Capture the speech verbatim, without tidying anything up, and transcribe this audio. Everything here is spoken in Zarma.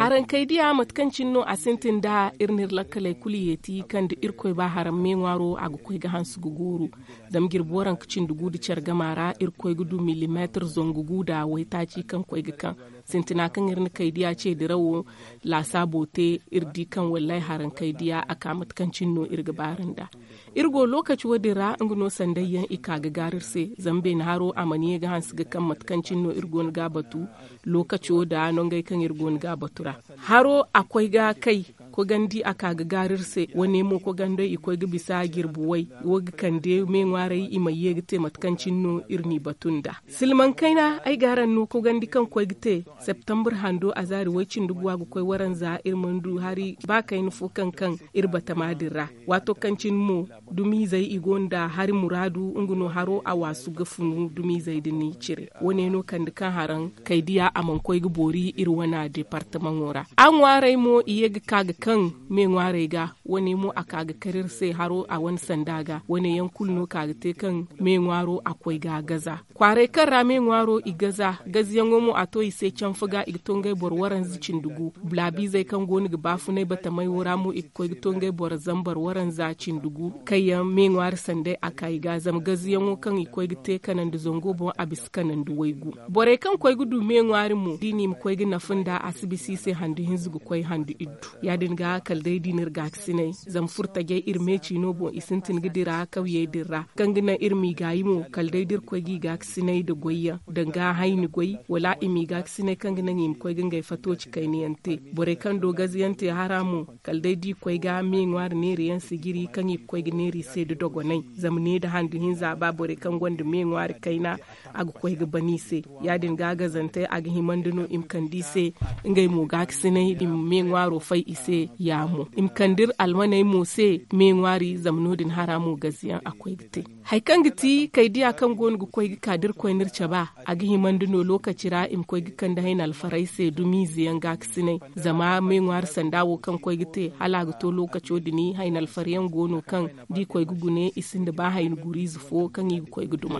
Harankey diya mate kaŋ cine no a sintin nda iri n'iri lakkaley kulu yeeti kaŋ da irkoy ba haram me ŋwaaro a ga koy ga hanse ga gooru. Zama jirbi waranka cindi gu nda care gama ra iri koy ga du millimeetir zangu gu nda waytaaci kaŋ koy ga kaŋ. Sintina kaŋ iri na kay diya ce dirawo laasaabo te, iri di kaŋ wallaahi harankey diya a ka mate kaŋ cine no iri ga baari nda. Iri go lookaci wo- din ra nga no sanday yaŋ i ka ga gaaru iri se. Zama beene haro a mana ye ga hanse ga kaŋ mate kaŋ cine no iri go no ga a batu. Lookaco nda nongey kaŋ iri go no ga a batu ra, haro a koy ga kay. Kogandi a ka ga gaaru iri se. Wane mo kogandey i koy ga bisa jirbi way. Wo ga kande me ŋwaarey i ma ye ga te mate kaŋ cine no iri n'i batu nda. Silmaŋ kayna ay ga araŋ no kogandi kaŋ koy ga te septambur hando a zaari way cindi guwa ga koy waranza iri mana du hari ba kayna fo kaŋ kaŋ iri batama din ra. Waato kaŋ cine mo dumiizey i go nda hari muraadu nga no haro a waasu ga funu dumiizey din i cire. Wane no kande kaŋ haraŋ kay diya a mana koy ga boori iri wana departamaŋo ra. A ŋwaarey mo i ye ga ka ga kaŋ me ŋwaarey ga. Wane mo a ka ga kar iri se haro a wane sanda ga. Wane yaŋ kulu no ka ga te kaŋ me ŋwaaro a koy ga gaza. Kwaaray kaŋ ra me ŋwaaro i gaza gazayaŋo mo a to i se canfa ga i ga to ngey boro waranza cindi gu. Bulaabiizey kaŋ go no ga baafunay batamay wo ra mo i ga koy ga to ngey boro zambar waranza cindi gu. Kaŋ yaŋ me ŋwaari sanday a ka i ga zama gazayaŋo kaŋ i koy ga te kanandi zango boŋ a bisa kanandi waygu. Borey kaŋ koy ga du me ŋwaari mo da i na i ma koy ga nafa nda a si bisa i se handu hinza ga koy handu iddu. Ya- din ga kala day da i n'iri gaakasinay zama furtajey iri meeci no boŋ i sintin ga dira kawyey din ra. Kaŋ ga naŋ iri m'i gaayi mo kala day da iri koy g'i gaakasinay nda goyyaŋ danga hayni goy wala i m'i gaakasinay kaŋ ga naŋ i ma koy ga ngey fatooci kayna yaŋ te. Borey kaŋ do gaze yaŋ te hara mo kala day da i koy ga me ŋwaari neeri yaŋ sijiri kaŋ i ga koy ga neeri i se nda dogonay. Zama ne nda handu hinza ba borey kaŋ gonda me ŋwaari kayna a ga koy ga ban i se. Ya- din ga gazantey a ga himandi no i ma kande i se ngey mo gaakasinay i ma me ŋwaaro fay i se. Ya mo i ma kande iri almaney mo se me ŋwaari zama no- din hara mo gaze yaŋ a koy ga te. Hari kaŋ ga ti kay diya kaŋ go no ga koy ga ka da iri koy n'iri cabe a ga himandi no lookaci ra i ma koy ga kande hayna alfarey se dumiize yaŋ gaakasinay. Zama me ŋwaari sanda wo kaŋ koy ga te hala a ga to lookaco din hayna alfar yaŋ go no kaŋ da i koy ga gune i sinda ba hayna guriize fo kaŋ i ga koy ga duma.